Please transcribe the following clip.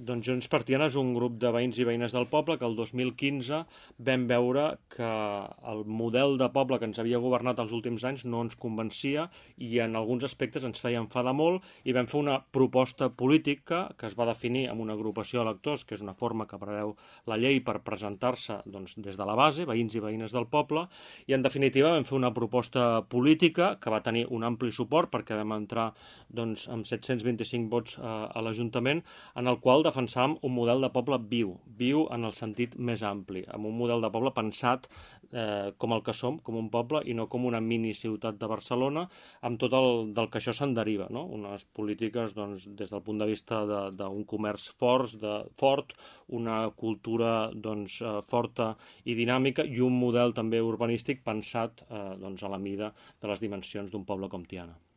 Doncs Junts per Tiana és un grup de veïns i veïnes del poble que el 2015 vam veure que el model de poble que ens havia governat els últims anys no ens convencia i en alguns aspectes ens feia enfadar molt i vam fer una proposta política que es va definir amb una agrupació d'electors, que és una forma que preveu la llei per presentar-se doncs, des de la base, veïns i veïnes del poble, i en definitiva vam fer una proposta política que va tenir un ampli suport perquè vam entrar doncs, amb 725 vots a l'Ajuntament, en el qual defensàvem un model de poble viu en el sentit més ampli, amb un model de poble pensat com el que som, com un poble, i no com una mini-ciutat de Barcelona, amb tot el del que això se'n deriva, no? Unes polítiques doncs, des del punt de vista d'un comerç fort, una cultura doncs, forta i dinàmica, i un model també urbanístic pensat doncs, a la mida de les dimensions d'un poble com Tiana.